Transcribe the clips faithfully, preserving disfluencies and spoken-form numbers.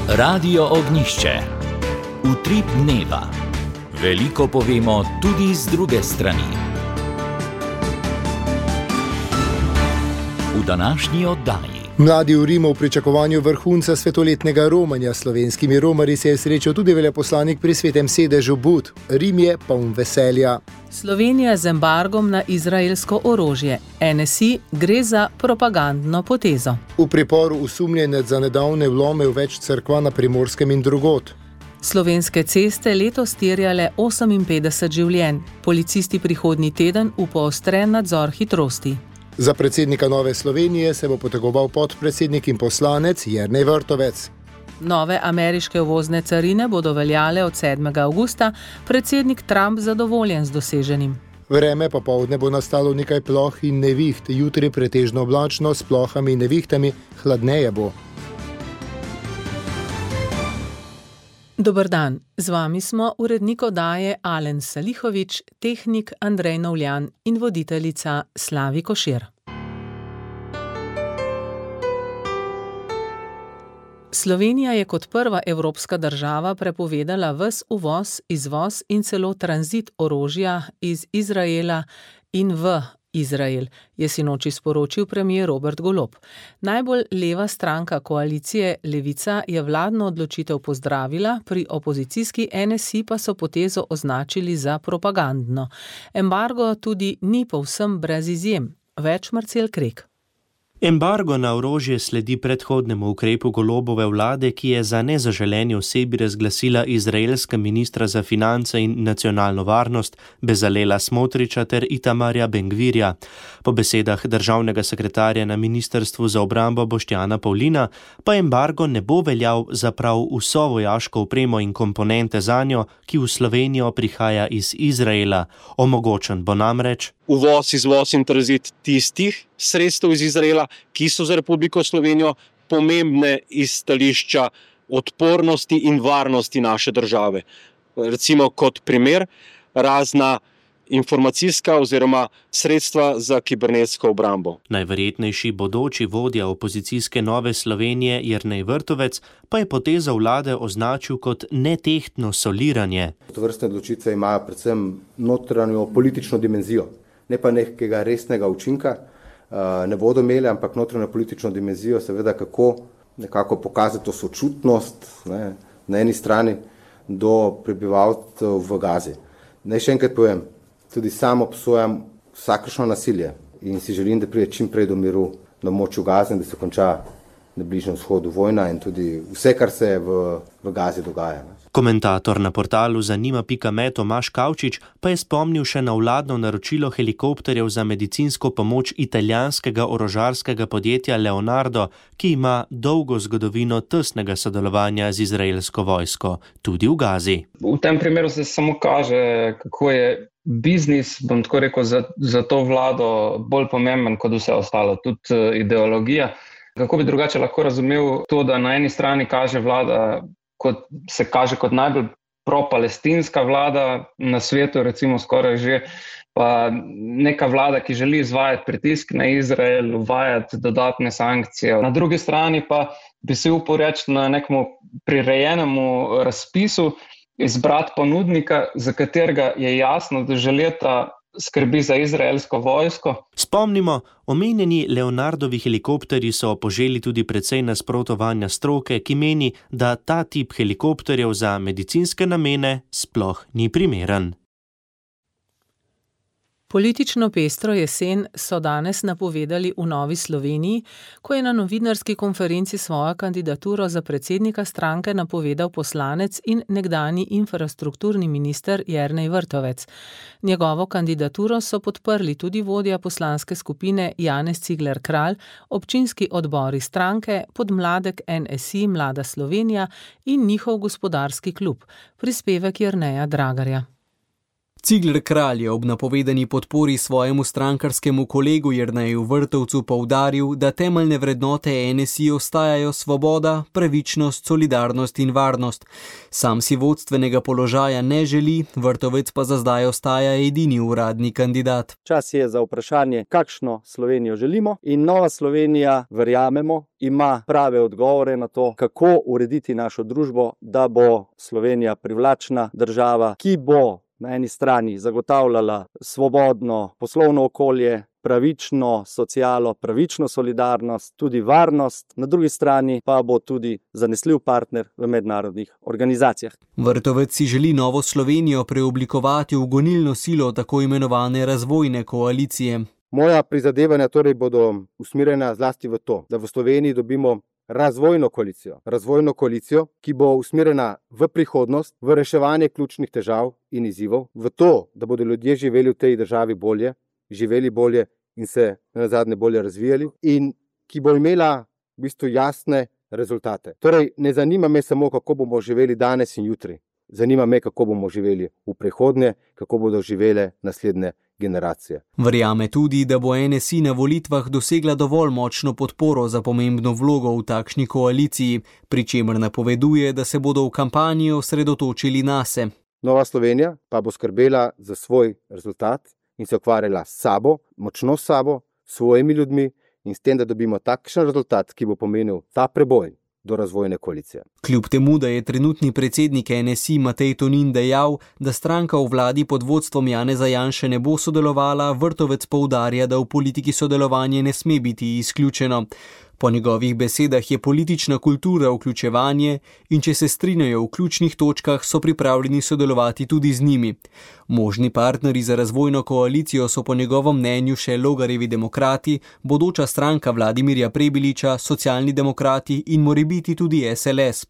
Radio Ognjišče. Utrip dneva. Veliko povemo tudi z druge strani. V današnji oddaji. Mladi v Rimu v pričakovanju vrhunca svetoletnega romanja s slovenskimi romarji se je srečal tudi veleposlanik pri Svetem sedežu Bud. Rim je poln veselja. Slovenija z embargom na izraelsko orožje. N S I gre za propagandno potezo. V priporu osumljenec za nedavne vlome v več cerkva na Primorskem in drugod. Slovenske ceste letos terjale oseminpetdeset življenj. Policisti prihodnji teden v poostren nadzor hitrosti. Za predsednika Nove Slovenije se bo potegoval podpredsednik in poslanec Jernej Vrtovec. Nove ameriške uvozne carine bodo veljale od sedmega avgusta, predsednik Trump zadovoljen z doseženim. Vreme popoldne bo nastalo nekaj ploh in neviht, jutri pretežno oblačno s plohami in nevihtami, hladneje bo. Dober dan, z vami smo urednik oddaje Alen Salihovič, tehnik Andrej Novljan in voditeljica Slavi Košir. Slovenija je kot prva evropska država prepovedala ves uvoz, izvoz in celo tranzit orožja iz Izraela in v Izrael, je sinoči sporočil premier Robert Golob. Najbolj leva stranka koalicije Levica je vladno odločitev pozdravila, pri opozicijski N S I pa so potezo označili za propagandno. Embargo tudi ni povsem brez izjem. Več Marcel Krek. Embargo na orožje sledi predhodnemu ukrepu Golobove vlade, ki je za nezaželeni osebi razglasila izraelska ministra za finance in nacionalno varnost Bezalela Smotriča ter Itamarja Ben-Gvirja. Po besedah državnega sekretarja na ministrstvu za obrambo Boštjana Pavlina pa embargo ne bo veljal za prav vso vojaško opremo in komponente zanjo, ki v Slovenijo prihaja iz Izraela. Omogočen bo namreč uvoz, izvoz in tranzit tistih sredstev iz Izraela, ki so za Republiko Slovenijo pomembne iz stališča odpornosti in varnosti naše države. Recimo kot primer razna informacijska oziroma sredstva za kibernetsko obrambo. Najverjetnejši bodoči vodja opozicijske Nove Slovenije Jernej Vrtovec pa je potezo vlade označil kot netehtno soliranje. Tovrstne odločitve imajo predvsem notranjo politično dimenzijo, ne pa nekega resnega učinka. Ne bodo imeli, ampak notranjo politično dimenzijo, seveda kako nekako pokazati to sočutnost, ne, na eni strani do prebivalcev v Gazi. Naj še enkrat povem, tudi sam obsojam vsakršno nasilje in si želim, da pride čim prej do miru na območju Gaze in da se konča na Bližnjem vzhodu vojna in tudi vse, kar se v, v Gazi dogaja. Komentator na portalu zanima pika me Tomaž Kavčič pa je spomnil še na vladno naročilo helikopterjev za medicinsko pomoč italijanskega orožarskega podjetja Leonardo, ki ima dolgo zgodovino tesnega sodelovanja z izraelsko vojsko, tudi v Gazi. V tem primeru se samo kaže, kako je biznis, bom tako rekel, za, za to vlado bolj pomemben kot vse ostalo, tudi ideologija. Kako bi drugače lahko razumel to, da na eni strani kaže vlada, kot se kaže kot najbolj pro-palestinska vlada na svetu, recimo skoraj že, pa neka vlada, ki želi izvajati pritisk na Izrael, uvajati dodatne sankcije. Na drugi strani pa bi se upal reči na nekemu prirejenemu razpisu izbrati ponudnika, za katerega je jasno, da že leta skrbi za izraelsko vojsko. Spomnimo, omenjeni Leonardovi helikopterji so poželi tudi precej nasprotovanja stroke, ki meni, da ta tip helikopterjev za medicinske namene sploh ni primeren. Politično pestro jesen so danes napovedali v Novi Sloveniji, ko je na novinarski konferenci svojo kandidaturo za predsednika stranke napovedal poslanec in nekdanji infrastrukturni minister Jernej Vrtovec. Njegovo kandidaturo so podprli tudi vodja poslanske skupine Janez Cigler Kralj, občinski odbori stranke, podmladek N S I Mlada Slovenija in njihov gospodarski klub, prispevek Jerneja Dragarja. Cigler Kralj je ob napovedani podpori svojemu strankarskemu kolegu Jerneju Vrtovcu poudaril, da temeljne vrednote N S I ostajajo svoboda, pravičnost, solidarnost in varnost. Sam si vodstvenega položaja ne želi, Vrtovec pa za zdaj ostaja edini uradni kandidat. Čas je za vprašanje, kakšno Slovenijo želimo, in Nova Slovenija, verjamemo, ima prave odgovore na to, kako urediti našo družbo, da bo Slovenija privlačna država, ki bo na eni strani zagotavljala svobodno poslovno okolje, pravično socialo, pravično solidarnost, tudi varnost, na drugi strani pa bo tudi zanesljiv partner v mednarodnih organizacijah. Vrtovec si želi Novo Slovenijo preoblikovati v gonilno silo tako imenovane razvojne koalicije. Moja prizadevanja torej bodo usmerjena zlasti v to, da v Sloveniji dobimo razvojno koalicijo. Razvojno koalicijo, ki bo usmerjena v prihodnost, v reševanje ključnih težav in izzivov, v to, da bodo ljudje živeli v tej državi bolje, živeli bolje in se nazadnje bolje razvijali, in ki bo imela v bistvu jasne rezultate. Torej, ne zanima me samo, kako bomo živeli danes in jutri. Zanima me, kako bomo živeli v prihodnje, kako bodo živele naslednje generacije. Verjame tudi, da bo N S I na volitvah dosegla dovolj močno podporo za pomembno vlogo v takšni koaliciji, pri čemer napoveduje, da se bodo v kampanji osredotočili nase. Nova Slovenija pa bo skrbela za svoj rezultat in se ukvarjala s sabo, močno s sabo, s svojimi ljudmi in s tem, da dobimo takšen rezultat, ki bo pomenil ta preboj do razvojne koalicije. Kljub temu, da je trenutni predsednik N S I Matej Tonin dejal, da stranka v vladi pod vodstvom Janeza Janše ne bo sodelovala, Vrtovec poudarja, da v politiki sodelovanje ne sme biti izključeno. Po njegovih besedah je politična kultura vključevanje in če se strinjajo v ključnih točkah, so pripravljeni sodelovati tudi z njimi. Možni partnerji za razvojno koalicijo so po njegovem mnenju še Logarjevi demokrati, bodoča stranka Vladimirja Prebiliča, socialni demokrati in morebiti tudi S L S.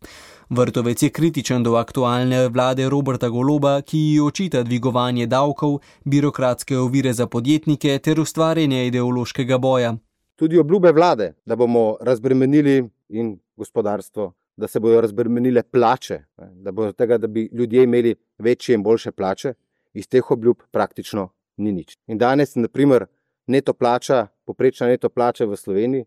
Vrtovec je kritičen do aktualne vlade Roberta Goloba, ki ji očita dvigovanje davkov, birokratske ovire za podjetnike ter ustvarjanje ideološkega boja. Tudi obljube vlade, da bomo razbremenili in gospodarstvo, da se bodo razbremenile plače, da bo tega, da bi ljudje imeli večje in boljše plače, iz teh obljub praktično ni nič. In danes, na primer, neto plača, povprečna neto plača v Sloveniji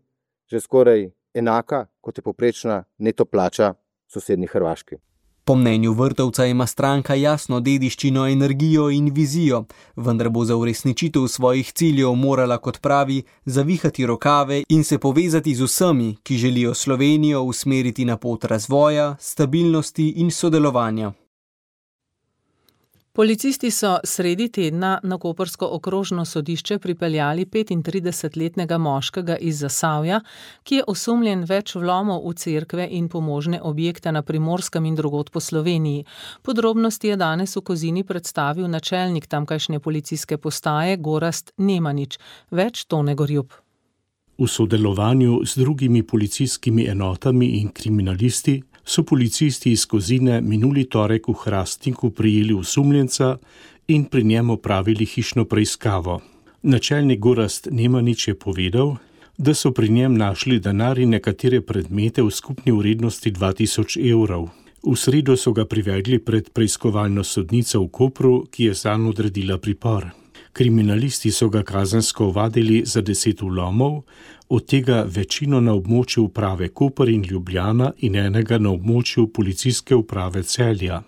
že skoraj enaka, kot je povprečna neto plača v sosednji Hrvaški. Po mnenju Vrtovca ima stranka jasno dediščino, energijo in vizijo, vendar bo za uresničitev svojih ciljev morala, kot pravi, zavihati rokave in se povezati z vsemi, ki želijo Slovenijo usmeriti na pot razvoja, stabilnosti in sodelovanja. Policisti so sredi tedna na koprsko okrožno sodišče pripeljali petintridesetletnega moškega iz Zasavja, ki je osumljen več vlomov v cerkve in pomožne objekte na Primorskem in drugod po Sloveniji. Podrobnosti je danes v Kozini predstavil načelnik tamkajšnje policijske postaje Gorazd Nemanič. Več Tone Gorjup. V sodelovanju z drugimi policijskimi enotami in kriminalisti so policisti iz Kozine minuli torek v Hrastniku prijeli osumljenca in pri njem opravili hišno preiskavo. Načelnik Gorazd Nemanič je povedal, da so pri njem našli denar in nekatere predmete v skupni vrednosti dva tisoč evrov. V sredo so ga privedli pred preiskovalno sodnico v Kopru, ki je zanj odredila pripor. Kriminalisti so ga kazensko ovadili za deset vlomov, od tega večino na območju uprave Koper in Ljubljana in enega na območju policijske uprave Celja.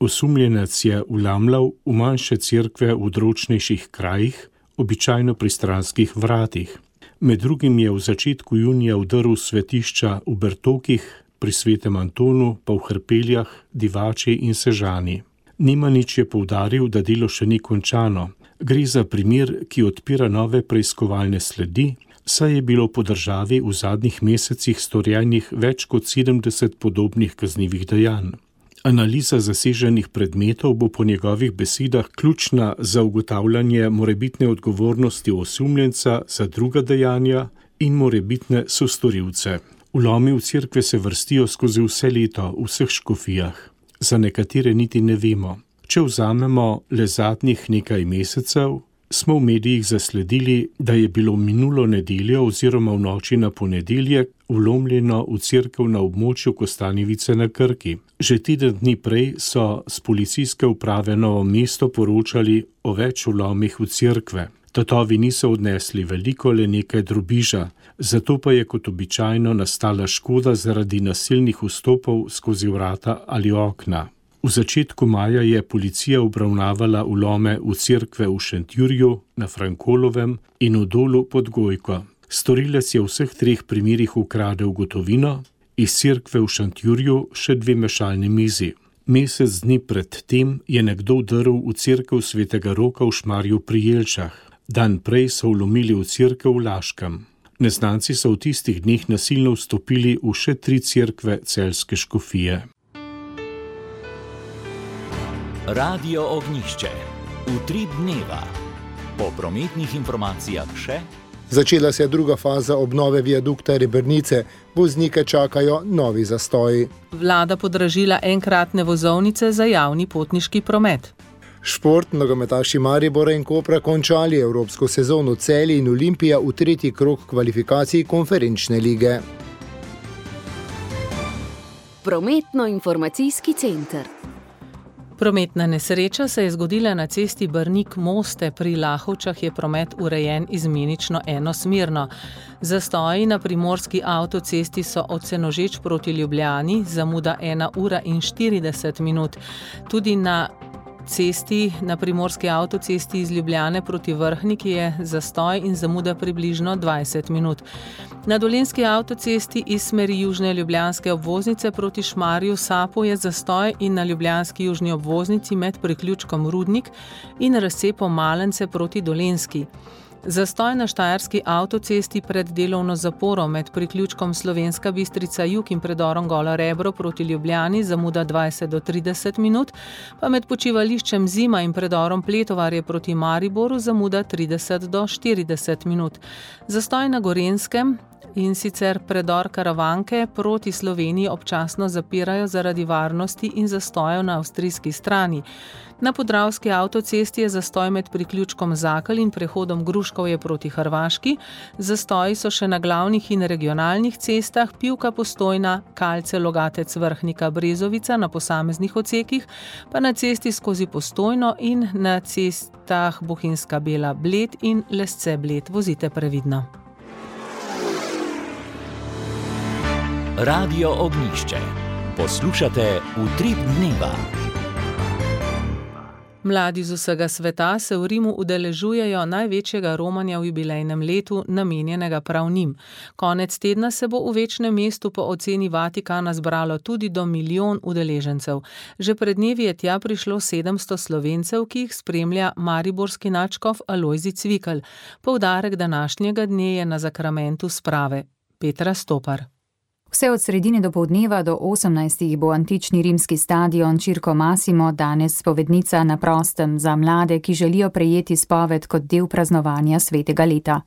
Osumljenec je vlamljal v manjše cerkve v odročnejših krajih, običajno pri stranskih vratih. Med drugim je v začetku junija vdrl svetišča v Bertokih, pri Svetem Antonu, pa v Hrpeljah, Divači in Sežani. Nemanič je poudaril, da delo še ni končano. Gre za primer, ki odpira nove preiskovalne sledi, saj je bilo po državi v zadnjih mesecih storjenih več kot sedemdeset podobnih kaznivih dejanj. Analiza zaseženih predmetov bo po njegovih besedah ključna za ugotavljanje morebitne odgovornosti osumljenca za druga dejanja in morebitne sostorilce. Vlomi v cerkve se vrstijo skozi vse leto v vseh škofijah. Za nekatere niti ne vemo. Če vzamemo le zadnjih nekaj mesecev, smo v medijih zasledili, da je bilo minulo nedeljo oziroma v noči na ponedeljek vlomljeno v cerkev na območju Kostanjevice na Krki. Že teden dni prej so s policijske uprave Novo mesto poročali o več vlomih v cerkve. Tatovi niso odnesli veliko, le nekaj drobiža, zato pa je kot običajno nastala škoda zaradi nasilnih vstopov skozi vrata ali okna. V začetku maja je policija obravnavala vlome v cerkve v Šentjurju, na Frankolovem in v Dolu pod Gojko. Storilec je v vseh treh primerih ukradel gotovino, iz cerkve v Šentjurju še dve mešalni mizi. Mesec dni pred tem je nekdo vdrl v cerkev Svetega Roka v Šmarju pri Jelčah. Dan prej so vlomili v cerkev v Laškem. Neznanci so v tistih dneh nasilno vstopili v še tri cerkve celjske škofije. Radio Ognjišče. Utrip dneva. Po prometnih informacijah še. Začela se je druga faza obnove viadukta Rebrnice. Voznike čakajo novi zastoji. Vlada podražila enkratne vozovnice za javni potniški promet. Šport, nogometaši Maribora in Kopra končali evropsko sezono, Celje in Olimpija v tretji krog kvalifikacij konferenčne lige. Prometno-informacijski center. Prometna nesreča se je zgodila na cesti Brnik-Moste. Pri Lahovčah je promet urejen izmenično enosmerno. Zastoji na primorski avtocesti so od Senožeč proti Ljubljani, zamuda ena ura in štirideset minut. Tudi na cesti, na primorski avtocesti iz Ljubljane proti Vrhniki je zastoj in zamuda približno dvajset minut. Na dolenjski avtocesti iz smeri južne ljubljanske obvoznice proti Šmarju Sapo je zastoj in na ljubljanski južni obvoznici med priključkom Rudnik in razcepom Malence proti Dolenjski. Zastoj na štajerski avtocesti pred delovno zaporo med priključkom Slovenska Bistrica jug in predorom Gola Rebro proti Ljubljani zamuda dvajset do trideset minut, pa med počivališčem Zima in predorom Pletovarje proti Mariboru zamuda trideset do štirideset minut. Zastoj na Gorenjskem in sicer predor Karavanke proti Sloveniji občasno zapirajo zaradi varnosti in zastojev na avstrijski strani. Na podravski avtocesti je zastoj med priključkom Zakelj in prehodom Gruškovje proti Hrvaški. Zastoji so še na glavnih in regionalnih cestah Pivka Postojna, Kalce Logatec Vrhnika Brezovica na posameznih odsekih, pa na cesti skozi Postojno in na cestah Bohinjska Bela Bled in Lesce Bled. Vozite previdno. Radio Ognjišče. Poslušate Utrip dneva. Mladi z vsega sveta se v Rimu udeležujejo največjega romanja v jubilejnem letu, namenjenega prav njim. Konec tedna se bo v večnem mestu po oceni Vatikana zbralo tudi do milijon udeležencev. Že pred dnevi je tja prišlo sedemsto Slovencev, ki jih spremlja mariborski nadškof Alojzij Cvikl. Poudarek današnjega dne je na zakramentu sprave. Petra Stopar. Vse od sredine dopoldneva do osemnajstih bo antični rimski stadion Circo Massimo danes spovednica na prostem za mlade, ki želijo prejeti spoved kot del praznovanja svetega leta.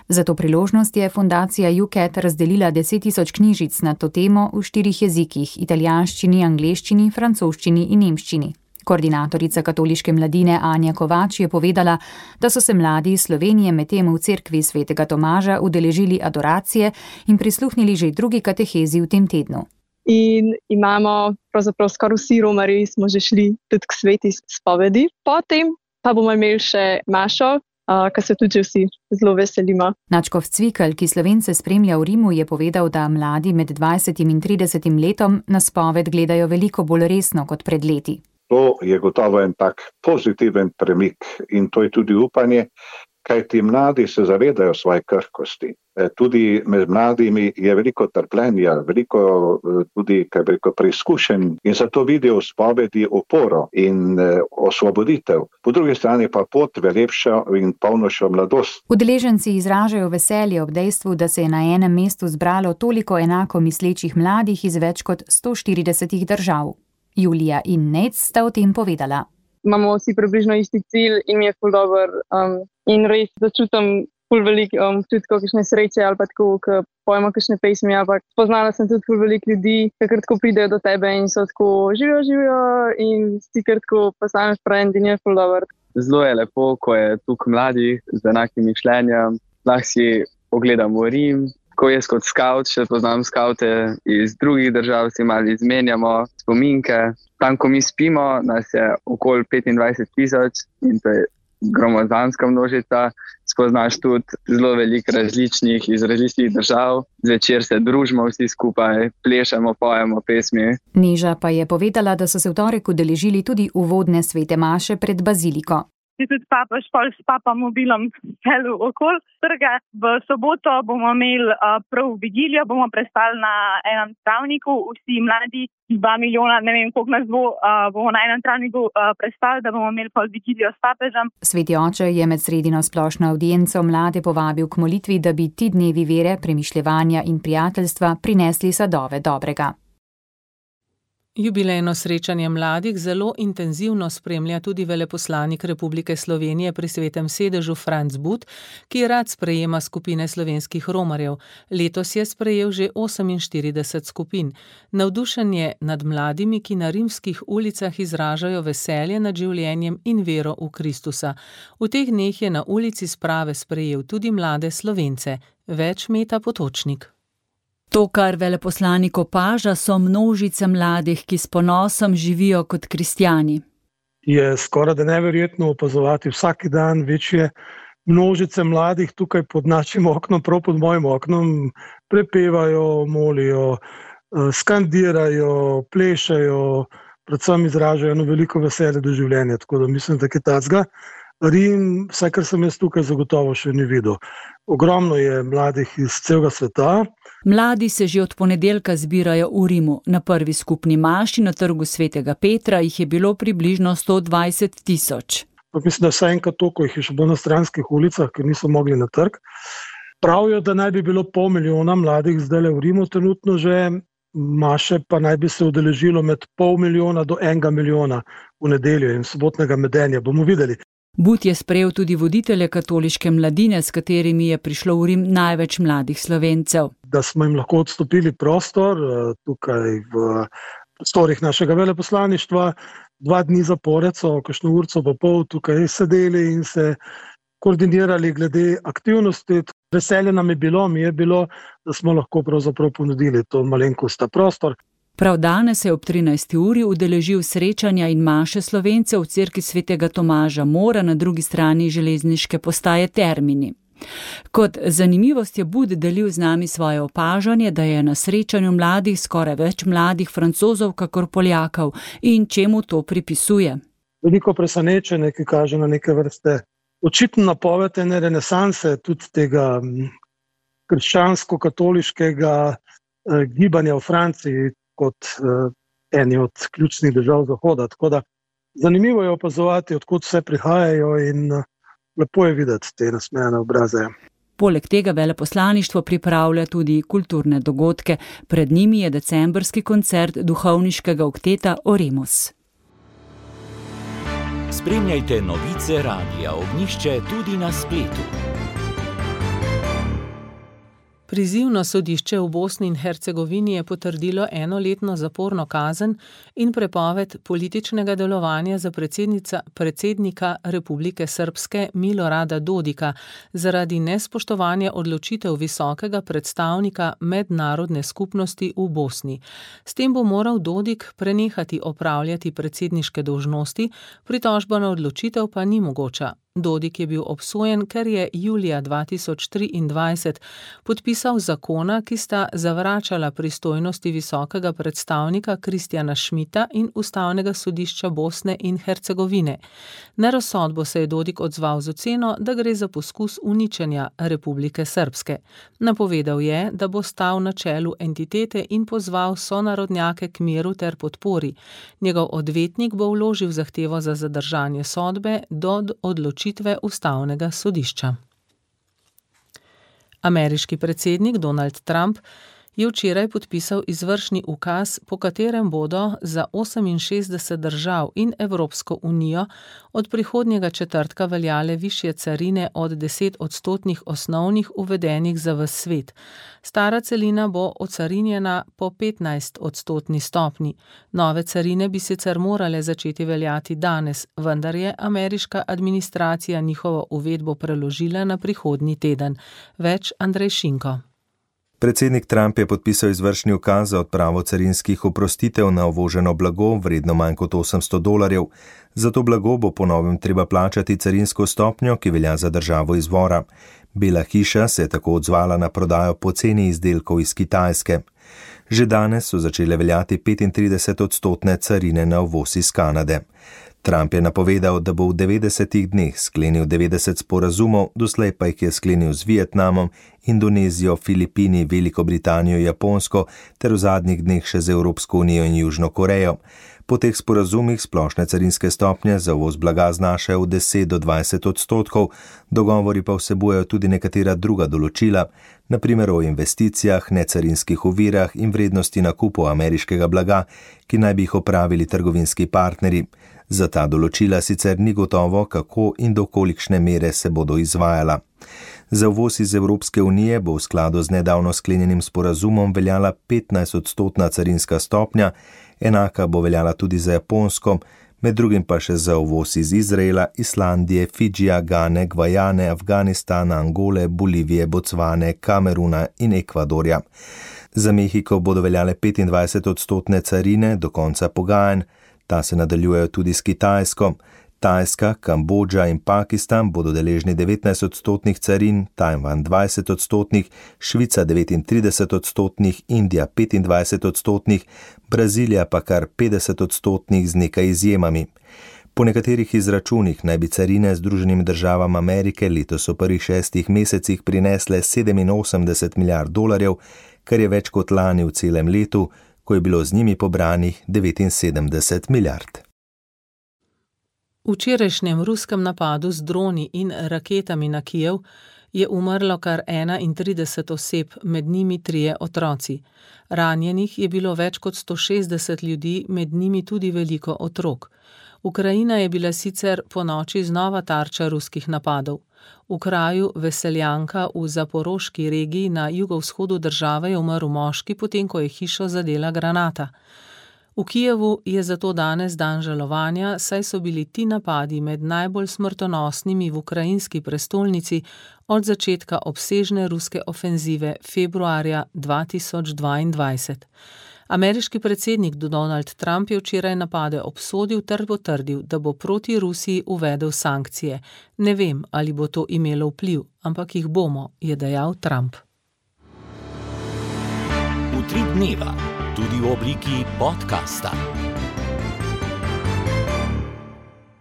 Za to priložnost je fundacija U C A T razdelila deset tisoč knjižic na to temo v štirih jezikih: italijanščini, angleščini, francoščini in nemščini. Koordinatorica katoliške mladine Anja Kovač je povedala, da so se mladi iz Slovenije medtem v cerkvi svetega Tomaža udeležili adoracije in prisluhnili že drugi katehezi v tem tednu. In imamo pravzaprav skoraj vsi romarji smo že šli tudi k sveti spovedi. Potem pa bomo imeli še mašo, kar se tudi vsi zelo veselimo. Nadškof Cvikl, ki Slovence spremlja v Rimu, je povedal, da mladi med dvajsetim in tridesetim letom na spoved gledajo veliko bolj resno kot pred leti. To je gotovo en tak pozitiven premik in to je tudi upanje, kaj ti mladi se zavedajo svoje krhkosti. Tudi med mladimi je veliko trpljenja, veliko tudi, kaj bi rekel, preizkušenj in zato vidijo v spovedi oporo in osvoboditev. Po drugi strani pa pot v lepšo in polnošo mladost. Udeleženci izražajo veselje ob dejstvu, da se je na enem mestu zbralo toliko enako mislečih mladih iz več kot sto štiridesetih držav. Julija in Nec sta o tem povedala. Imamo vsi približno isti cilj in mi je ful dober um, in res začutim ful veliko um, tudi kakšne sreče ali pa tako, ko pojmo kakšne pesmi, ampak spoznala sem tudi ful veliko ljudi, ki kratko pridejo do tebe in so tako živijo, živijo in si kratko postaneš friend in je ful dober. Zelo je lepo, ko je tukaj mladih z enakim mišljenjem. Lahko si ogledamo Rim. Ko jaz kot skavt, še poznam skavte iz drugih držav, si malo izmenjamo spominke. Tam, ko mi spimo, nas je okoli petindvajset tisoč in to je gromozanska množica. Spoznaš tudi zelo veliko različnih iz različnih držav. Zvečer se družimo vsi skupaj, plešemo, pojemo pesmi. Neža pa je povedala, da so se v torek udeležili tudi uvodne svete maše pred baziliko. Tudi papež pol s papa mobilom celo okol trga. V soboto bomo imeli uh, prav vigilijo, bomo prestali na enem travniku, vsi mladi, dva milijona, ne vem koliko nas bo, uh, bomo na enem travniku uh, prestali, da bomo imeli pol vigilijo s papežem. Sveti oče je med sredino splošno avdienco mlade povabil k molitvi, da bi ti dnevi vere, premišljevanja in prijateljstva prinesli sadove dobrega. Jubilejno srečanje mladih zelo intenzivno spremlja tudi veleposlanik Republike Slovenije pri Svetem sedežu Franc But, ki rad sprejema skupine slovenskih romarjev. Letos je sprejel že oseminštirideset skupin. Navdušen je nad mladimi, ki na rimskih ulicah izražajo veselje nad življenjem in vero v Kristusa. V teh dneh je na ulici sprave sprejel tudi mlade Slovence. Več Meta Potočnik. To, kar veleposlanik opaža, so množice mladih, ki s ponosom živijo kot kristjani. Je skoraj da neverjetno opazovati vsak dan večje množice mladih tukaj pod našim oknom, prav pod mojim oknom, prepevajo, molijo, skandirajo, plešajo, predvsem izražajo eno veliko veselje do življenja. Tako da mislim, da je tacga. Rim, vsaj kar sem jaz tukaj zagotovo še ni videl. Ogromno je mladih iz celega sveta. Mladi se že od ponedeljka zbirajo v Rimu. Na prvi skupni maši na trgu Svetega Petra jih je bilo približno sto dvajset tisoč. Mislim, da vsaj enkrat toliko jih je še bilo na stranskih ulicah, ker niso mogli na trg. Pravijo, da naj bi bilo pol milijona mladih zdaj v Rimu trenutno že, maše pa naj bi se udeležilo med pol milijona do enega milijona v nedeljo in sobotnega medenja. Bomo videli. But je sprejel tudi voditelje katoliške mladine, s katerimi je prišlo v Rim največ mladih Slovencev. Da smo jim lahko odstopili prostor tukaj v prostorih našega veleposlaništva. Dva dni zapored so, kakšno urco pa pol tukaj sedeli in se koordinirali glede aktivnosti. Veselje nam je bilo, mi je bilo, da smo lahko pravzaprav ponudili to malenkost prostor. Prav danes je ob trinajsti uri udeležil srečanja in maše Slovencev v cerkvi Svetega Tomaža Mora na drugi strani železniške postaje Termini. Kot zanimivost je Bud delil z nami svoje opažanje, da je na srečanju mladih skoraj več mladih Francozov kakor Poljakov in čemu to pripisuje. Veliko presenečenje, ki kaže na neke vrste očitno napoved ene renesanse tudi tega krščansko-katoliškega eh, gibanja v Franciji kot eh, eni od ključnih držav Zahoda. Tako da zanimivo je opazovati, odkud vse prihajajo in eh, lepo je videti te nasmejane obraze. Poleg tega veleposlaništvo pripravlja tudi kulturne dogodke. Pred njimi je decembrski koncert duhovniškega okteta Oremus. Spremljajte novice Radia Ognjišče tudi na spletu. Prizivno sodišče v Bosni in Hercegovini je potrdilo enoletno zaporno kazen in prepoved političnega delovanja za predsednika Republike Srpske Milorada Dodika zaradi nespoštovanja odločitev visokega predstavnika mednarodne skupnosti v Bosni. S tem bo moral Dodik prenehati opravljati predsedniške dolžnosti, pritožba na odločitev pa ni mogoča. Dodik je bil obsojen, ker je julija dva tisoč triindvajset podpisal zakona, ki sta zavračala pristojnosti visokega predstavnika Kristjana Šmita in Ustavnega sodišča Bosne in Hercegovine. Na razsodbo se je Dodik odzval z oceno, da gre za poskus uničenja Republike Srpske. Napovedal je, da bo stal na čelu entitete in pozval sonarodnjake k miru ter podpori. Njegov odvetnik bo vložil zahtevo za zadržanje sodbe do odločitve Ustavnega sodišča. Ameriški predsednik Donald Trump je včeraj podpisal izvršni ukaz, po katerem bodo za oseminšestdeset držav in Evropsko unijo od prihodnjega četrtka veljale višje carine od deset odstotnih osnovnih uvedenih za ves svet. Stara celina bo ocarinjena po petnajst odstotni stopni. Nove carine bi sicer morale začeti veljati danes, vendar je ameriška administracija njihovo uvedbo preložila na prihodnji teden. Več Andrej Šinko. Predsednik Trump je podpisal izvršni ukaz za odpravo carinskih oprostitev na uvoženo blago vredno manj kot osemsto dolarjev. Za to blago bo po novem treba plačati carinsko stopnjo, ki velja za državo izvora. Bela hiša se je tako odzvala na prodajo poceni izdelkov iz Kitajske. Že danes so začele veljati petintrideset odstotne carine na uvoz iz Kanade. Trump je napovedal, da bo v devetdesetih dneh sklenil devetdeset sporazumov, doslej pa jih je sklenil z Vietnamom, Indonezijo, Filipini, Veliko Britanijo, Japonsko ter v zadnjih dneh še z Evropsko unijo in Južno Korejo. Po teh sporazumih splošne carinske stopnje za uvoz blaga znašajo od deset do dvajset odstotkov, dogovori pa vsebujejo tudi nekatera druga določila, na primer o investicijah, necarinskih ovirah in vrednosti nakupov ameriškega blaga, ki naj bi jih opravili trgovinski partnerji. Za ta določila sicer ni gotovo, kako in do kolikšne mere se bodo izvajala. Za uvoz iz Evropske unije bo v skladu z nedavno sklenjenim sporazumom veljala petnajst odstotna carinska stopnja, enaka bo veljala tudi za Japonsko, med drugim pa še za uvoz iz Izraela, Islandije, Fidžija, Gane, Gvajane, Afganistana, Angole, Bolivije, Bocvane, Kameruna in Ekvadorja. Za Mehiko bodo veljale petindvajset odstotne carine do konca pogajanj, ta se nadaljujejo tudi s Kitajsko. Tajska, Kambodža in Pakistan bodo deležni devetnajst odstotnih carin, Tajvan dvajset odstotnih, Švica devetintrideset odstotnih, Indija petindvajset odstotnih, Brazilija pa kar petdeset odstotnih z nekaj izjemami. Po nekaterih izračunih naj bi carine Združenim državam Amerike letos v prvih šestih mesecih prinesle sedeminosemdeset milijard dolarjev, kar je več kot lani v celem letu, ko je bilo z njimi pobranih devetinsedemdeset milijard. V včerajšnjem ruskem napadu z droni in raketami na Kijev je umrlo kar enaintrideset oseb, med njimi trije otroci. Ranjenih je bilo več kot sto šestdeset ljudi, med njimi tudi veliko otrok. Ukrajina je bila sicer ponoči znova tarča ruskih napadov. V kraju Veseljanka v Zaporoški regiji na jugovzhodu države je umrl moški, potem ko je hišo zadela granata. V Kijevu je zato danes dan žalovanja, saj so bili ti napadi med najbolj smrtonosnimi v ukrajinski prestolnici od začetka obsežne ruske ofenzive februarja dva tisoč dvaindvajset. Ameriški predsednik Donald Trump je včeraj napade obsodil ter potrdil, da bo proti Rusiji uvedel sankcije. Ne vem, ali bo to imelo vpliv, ampak jih bomo, je dejal Trump. Utrip dneva, tudi v obliki podcasta.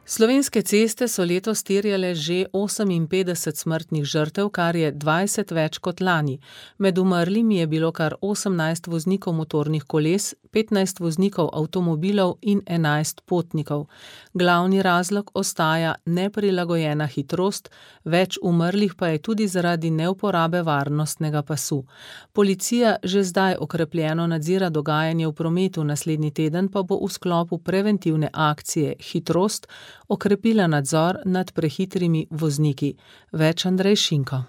Slovenske ceste so letos terjale že oseminpetdeset smrtnih žrtev, kar je dvajset več kot lani. Med umrlimi je bilo kar osemnajst voznikov motornih koles, petnajst voznikov avtomobilov in enajst potnikov. Glavni razlog ostaja neprilagojena hitrost, več umrlih pa je tudi zaradi neuporabe varnostnega pasu. Policija že zdaj okrepljeno nadzira dogajanje v prometu, naslednji teden pa bo v sklopu preventivne akcije Hitrost okrepila nadzor nad prehitrimi vozniki. Več Andrej Šinko.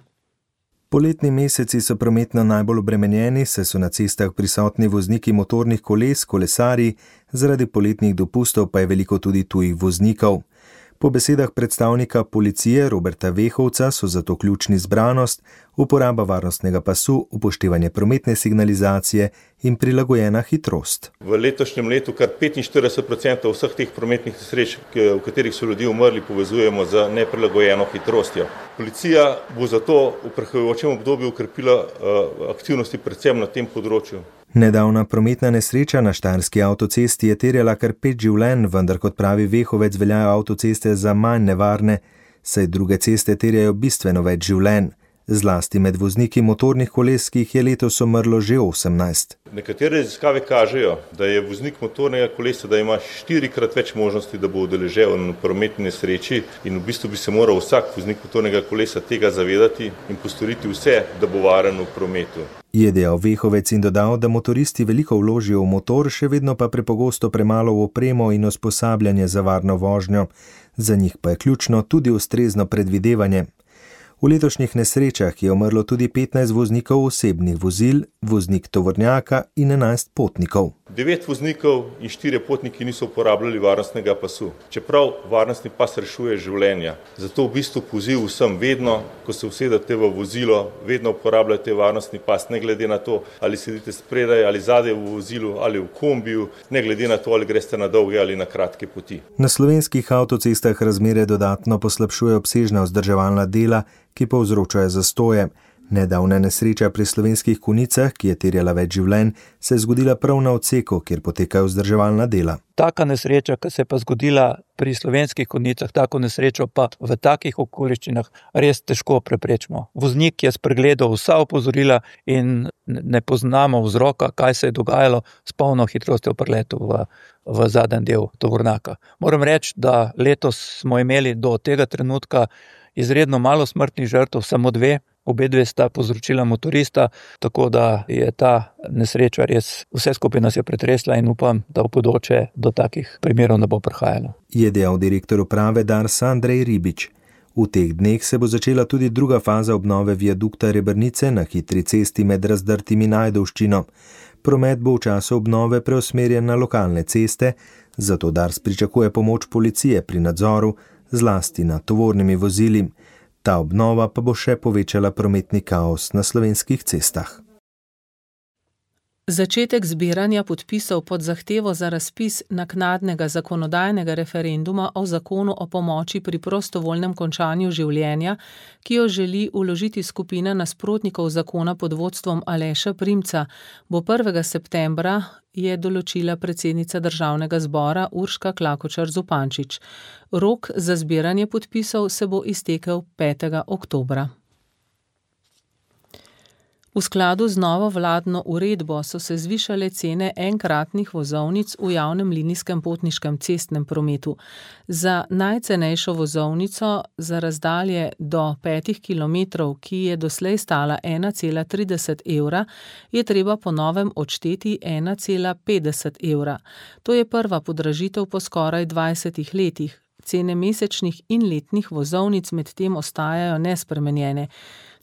Poletni meseci so prometno najbolj obremenjeni, saj so na cestah prisotni vozniki motornih koles, kolesarji, zaradi poletnih dopustov pa je veliko tudi tujih voznikov. Po besedah predstavnika policije Roberta Vehovca so zato ključni zbranost, uporaba varnostnega pasu, upoštevanje prometne signalizacije in prilagojena hitrost. V letošnjem letu kar petinštirideset procentov vseh teh prometnih nesreč, v katerih so ljudje umrli, povezujemo z neprilagojeno hitrostjo. Policija bo zato v prihajajočem obdobju ukrepila aktivnosti predvsem na tem področju. Nedavna prometna nesreča na štajerski avtocesti je terjala kar pet življenj, vendar kot pravi Vehovec veljajo avtoceste za manj nevarne, saj druge ceste terjajo bistveno več življenj. Zlasti med vozniki motornih koles, ki jih je letos umrlo že osemnajst. Nekatere raziskave kažejo, da je voznik motornega kolesa, da ima štirikrat več možnosti, da bo udeležen v prometni nesreči in v bistvu bi se moral vsak voznik motornega kolesa tega zavedati in postoriti vse, da bo varen v prometu. Je dejal Vehovec in dodal, da motoristi veliko vložijo v motor, še vedno pa prepogosto premalo v opremo in usposabljanje za varno vožnjo. Za njih pa je ključno tudi ustrezno predvidevanje. V letošnjih nesrečah je umrlo tudi petnajst voznikov osebnih vozil, voznik tovornjaka in enajst potnikov. Devet voznikov in štirje potniki niso uporabljali varnostnega pasu, čeprav varnostni pas rešuje življenja. Zato v bistvu poziv vsem vedno, ko se usedete v vozilo, vedno uporabljate varnostni pas, ne glede na to, ali sedite spredaj ali zadaj v vozilu ali v kombiju, ne glede na to, ali greste na dolge ali na kratke poti. Na slovenskih avtocestah razmere dodatno poslabšuje obsežna vzdrževalna dela, ki povzročajo zastoje. Nedavna nesreča pri Slovenskih Konjicah, ki je terjala več življenj, se je zgodila prav na odseku, kjer potekajo vzdrževalna dela. Taka nesreča, ki se je pa zgodila pri Slovenskih Konjicah, tako nesrečo pa v takih okoliščinah res težko preprečimo. Voznik je spregledal vsa opozorila in ne poznamo vzroka, kaj se je dogajalo s polno hitrostjo pri letu v, v zadnji del tovornjaka. Moram reči, da letos smo imeli do tega trenutka izredno malo smrtnih žrtev, samo dve. Obe dve sta povzročila motorista, tako da je ta nesreča res vse skupaj nas je pretresla in upam, da v bodoče do takih primerov ne bo prihajalo. Je dejal direktor uprave Darsa Andrej Ribič. V teh dneh se bo začela tudi druga faza obnove viadukta Rebrnice na hitri cesti med Razdrtim in Ajdovščino. Promet bo v času obnove preusmerjen na lokalne ceste, zato Dars pričakuje pomoč policije pri nadzoru, zlasti nad tovornimi vozili. Ta obnova pa bo še povečala prometni kaos na slovenskih cestah. Začetek zbiranja podpisov pod zahtevo za razpis naknadnega zakonodajnega referenduma o zakonu o pomoči pri prostovoljnem končanju življenja, ki jo želi vložiti skupina nasprotnikov zakona pod vodstvom Aleša Primca, bo prvega septembra, je določila predsednica Državnega zbora Urška Klakočar Zupančič. Rok za zbiranje podpisov se bo iztekel petega oktobra. V skladu z novo vladno uredbo so se zvišale cene enkratnih vozovnic v javnem linijskem potniškem cestnem prometu. Za najcenejšo vozovnico za razdalje do petih kilometrov, ki je doslej stala ena cela trideset evra, je treba po novem odšteti ena cela petdeset evra. To je prva podražitev po skoraj dvajsetih letih. Cene mesečnih in letnih vozovnic medtem ostajajo nespremenjene.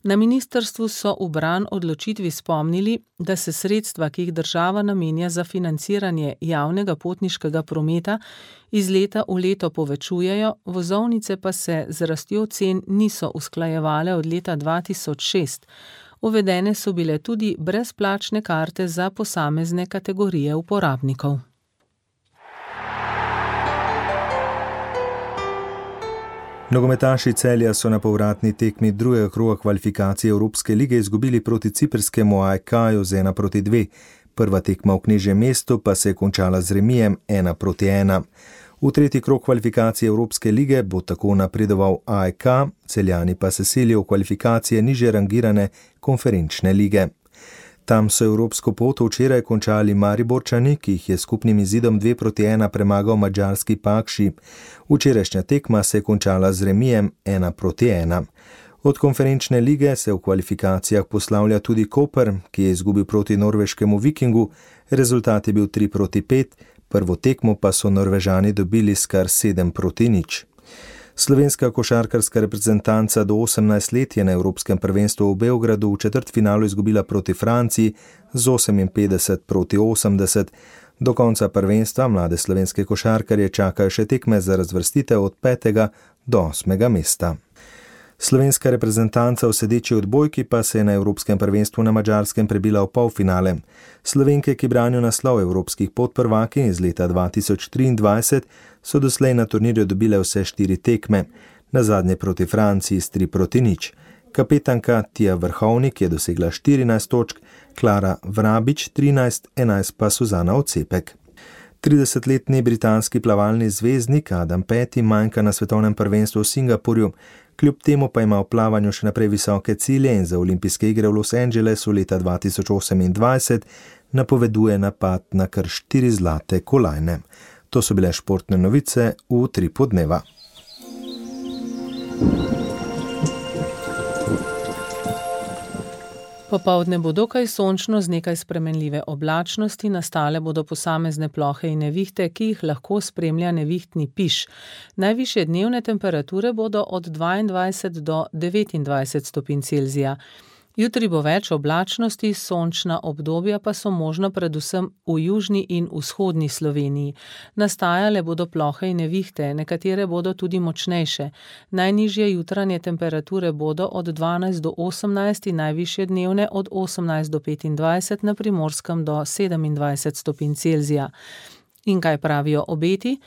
Na ministrstvu so v bran odločitvi spomnili, da se sredstva, ki jih država namenja za financiranje javnega potniškega prometa, iz leta v leto povečujejo, vozovnice pa se z rastjo cen niso usklajevale od leta dva tisoč šest. Uvedene so bile tudi brezplačne karte za posamezne kategorije uporabnikov. Nogometaši Celja so na povratni tekmi drugega kroga kvalifikacije Evropske lige izgubili proti ciprskemu A E K-ju z ena proti dve. Prva tekma v Knežjem mestu pa se je končala z remijem ena proti ena. V tretji krog kvalifikacije Evropske lige bo tako napredoval A E K, Celjani pa se selijo v kvalifikacije nižje rangirane konferenčne lige. Tam so evropsko pot včeraj končali Mariborčani, ki jih je skupnim izidom dve proti ena premagal madžarski Pakši. Včerajšnja tekma se je končala z remijem ena proti ena. Od konferenčne lige se v kvalifikacijah poslavlja tudi Koper, ki je izgubil proti norveškemu Vikingu. Rezultat je bil tri proti pet, prvo tekmo pa so Norvežani dobili s kar sedem proti nič. Slovenska košarkarska reprezentanca do osemnajst let je na Evropskem prvenstvu v Beogradu v četrtfinalu izgubila proti Franciji z oseminpetdeset proti osemdeset. Do konca prvenstva mlade slovenske košarkarje čakajo še tekme za razvrstitev od petega do osmega mesta. Slovenska reprezentanca v sedeči odbojki pa se je na Evropskem prvenstvu na Madžarskem prebila v polfinale. Slovenke, ki branijo naslov evropskih podprvakinj iz leta dva tisoč triindvajset, so doslej na turnirju dobile vse štiri tekme, nazadnje proti Franciji s tri proti nič. Kapetanka Tija Vrhovnik je dosegla štirinajst točk, Klara Vrabič trinajst, enajst pa Suzana Ocepek. tridesetletni britanski plavalni zvezdnik Adam Peaty manjka na svetovnem prvenstvu v Singapurju, kljub temu pa ima v plavanju še naprej visoke cilje in za olimpijske igre v Los Angelesu leta dva tisoč osemindvajset napoveduje napad na kar štiri zlate kolajne. To so bile športne novice v Utripu dneva. Popoldne bo dokaj sončno z nekaj spremenljive oblačnosti, nastale bodo posamezne plohe in nevihte, ki jih lahko spremlja nevihtni piš. Najvišje dnevne temperature bodo od dvaindvajset do devetindvajset stopinj Celzija. Jutri bo več oblačnosti, sončna obdobja pa so možna predvsem v južni in vzhodni Sloveniji. Nastajale bodo plohe in nevihte, nekatere bodo tudi močnejše. Najnižje jutranje temperature bodo od dvanajst do osemnajst in najvišje dnevne od osemnajst do petindvajset, na Primorskem do sedemindvajset stopinj Celzija. In kaj pravijo obeti?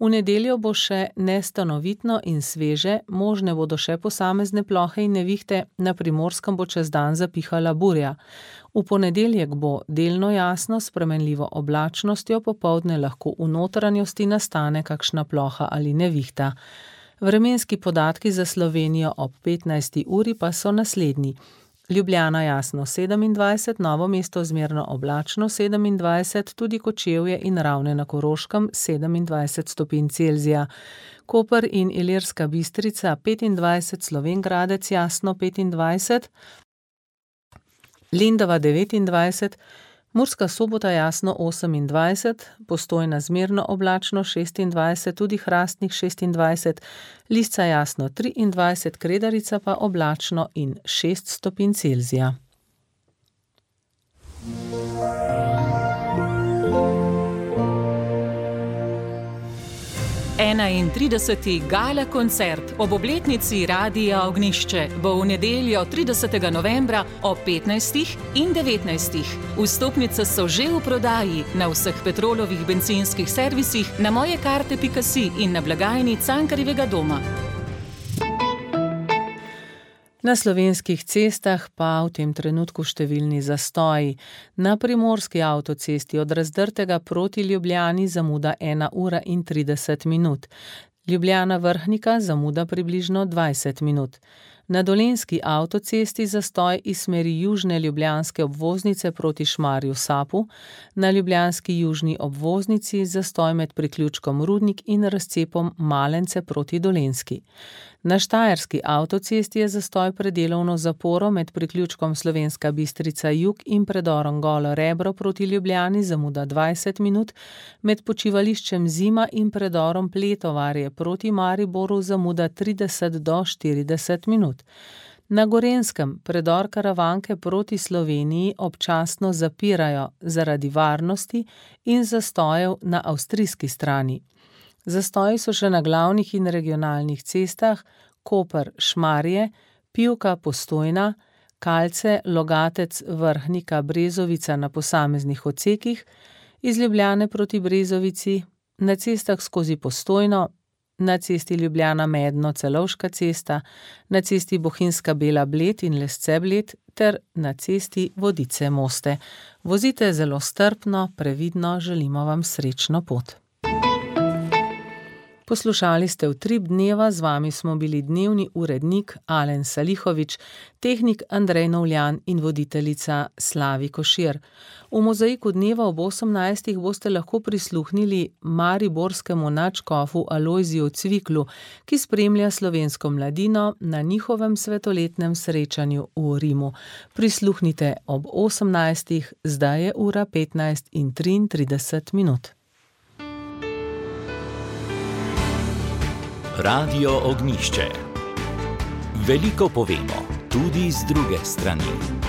V nedeljo bo še nestanovitno in sveže, možne bodo še posamezne plohe in nevihte, na Primorskem bo čez dan zapihala burja. V ponedeljek bo delno jasno s spremenljivo oblačnostjo, popoldne lahko v notranjosti nastane kakšna ploha ali nevihta. Vremenski podatki za Slovenijo ob petnajsti uri pa so naslednji. Ljubljana jasno sedemindvajset, Novo mesto zmerno oblačno sedemindvajset, tudi Kočevje in Ravne na Koroškem sedemindvajset stopinj Celzija. Koper in Ilirska Bistrica petindvajset, Slovenj Gradec jasno petindvajset, Lendava devetindvajset, Murska Sobota jasno osemindvajset, Postojna zmerno oblačno šestindvajset, tudi Hrastnik šestindvajset, Lisca jasno triindvajset, Kredarica pa oblačno in šest stopinj Celzija. enaintrideseti gala koncert ob obletnici Radia Ognjišče bo v nedeljo tridesetega novembra ob petnajstih in devetnajstih. Vstopnice so že v prodaji na vseh Petrolovih bencinskih servisih, na mojekarte pika si in na blagajni Cankarjevega doma. Na slovenskih cestah pa v tem trenutku številni zastoji. Na primorski avtocesti od Razdrtega proti Ljubljani zamuda ena ura in trideset minut. Ljubljana Vrhnika zamuda približno dvajset minut. Na dolenjski avtocesti zastoj iz smeri južne ljubljanske obvoznice proti Šmarju Sapu, na ljubljanski južni obvoznici zastoj med priključkom Rudnik in razcepom Malence proti Dolenjski. Na štajerski avtocesti je zastoj pred delovno zaporo med priključkom Slovenska Bistrica Jug in predorom Golo Rebro proti Ljubljani zamuda dvajset minut, med počivališčem Zima in predorom Pletovarje proti Mariboru zamuda trideset do štirideset minut. Na Gorenjskem predor Karavanke proti Sloveniji občasno zapirajo zaradi varnosti in zastojev na avstrijski strani. Zastoji so še na glavnih in regionalnih cestah Koper Šmarje, Pivka Postojna, Kalce, Logatec, Vrhnika, Brezovica na posameznih odsekih, iz Ljubljane proti Brezovici, na cestah skozi Postojno, na cesti Ljubljana Medno Celovška cesta, na cesti Bohinjska Bela Bled in Lesce Bled ter na cesti Vodice Moste. Vozite zelo strpno, previdno, želimo vam srečno pot. Poslušali ste Utrip dneva, z vami smo bili dnevni urednik Alen Salihovič, tehnik Andrej Novljan in voditeljica Slavi Košir. V mozaiku dneva ob osemnajstih boste lahko prisluhnili mariborskemu nadškofu Alojziju Cviklu, ki spremlja slovensko mladino na njihovem svetoletnem srečanju v Rimu. Prisluhnite ob osemnajstih, zdaj je ura petnajst in triintrideset minut. Radio Ognjišče. Veliko povemo, tudi z druge strani.